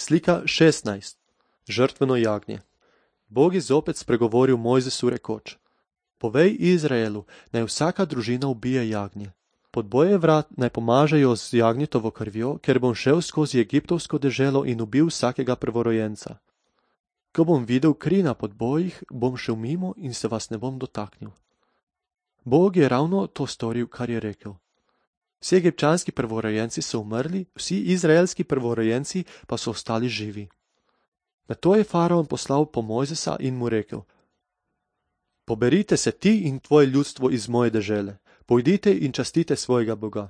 Slika 16. Žrtveno jagnje. Bog je zopet spregovoril Mojzesu rekoč: Povej Izraelu, naj vsaka družina ubije jagnje. Pod boje vrat naj pomažejo z jagnjetovo krvjo, ker bom šel skozi egiptovsko deželo in ubil vsakega prvorojenca. Ko bom videl kri na podbojih, bom šel mimo in se vas ne bom dotaknil. Bog je ravno to storil, kar je rekel. Vsi egipčanski prvorojenci so umrli, vsi izraelski prvorojenci pa so ostali živi. Nato je faraon poslal po Mojzesa in mu rekel: Poberite se ti in tvoje ljudstvo iz moje dežele, pojdite in častite svojega Boga.